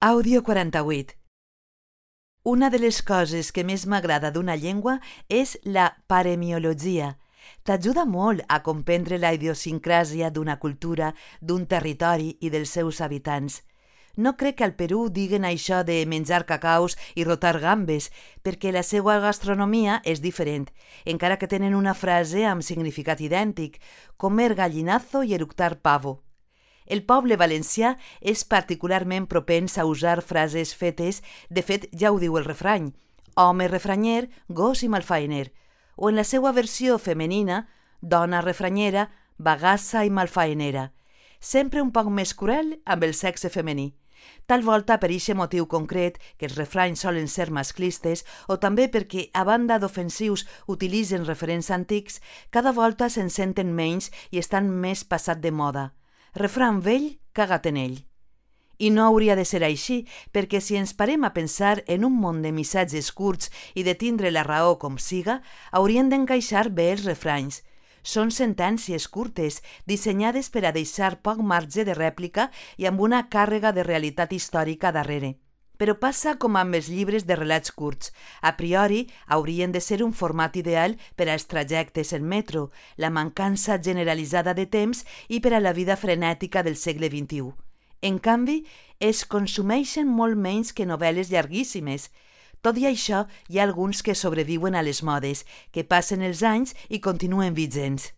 Àudio 48. Una de les coses que més m'agrada d'una llengua és la paremiologia. T'ajuda molt a comprendre la idiosincràsia d'una cultura, d'un territori i dels seus habitants. No crec que al Perú diguen això de menjar cacaus i rotar gambes, perquè la seva gastronomia és diferent, encara que tenen una frase amb significat idèntic, comer gallinazo i eructar pavo. El poble valencià és particularment propens a usar frases fetes, de fet ja ho diu el refrany, home refranyer, gos i malfaener, o en la seva versió femenina, dona refranyera, bagassa i malfaenera, sempre un poc més cruel amb el sexe femení. Tal volta per eixe motiu concret, que els refranys solen ser masclistes, o també perquè, a banda d'ofensius, utilitzen referents antics, cada volta se'n senten menys i estan més passat de moda. Refrany vell, cagat en ell. I no hauria de ser així, perquè si ens parem a pensar en un món de missatges curts i de tindre la raó com siga, haurien d'encaixar bé els refranys. Són sentències curtes, dissenyades per a deixar poc marge de rèplica i amb una càrrega de realitat històrica darrere. Però passa com amb els llibres de relats curts. A priori, haurien de ser un format ideal per als trajectes en metro, la mancança generalitzada de temps i per a la vida frenètica del segle XXI. En canvi, es consumeixen molt menys que novel·les llarguíssimes. Tot i això, hi ha alguns que sobreviuen a les modes, que passen els anys i continuen vigents.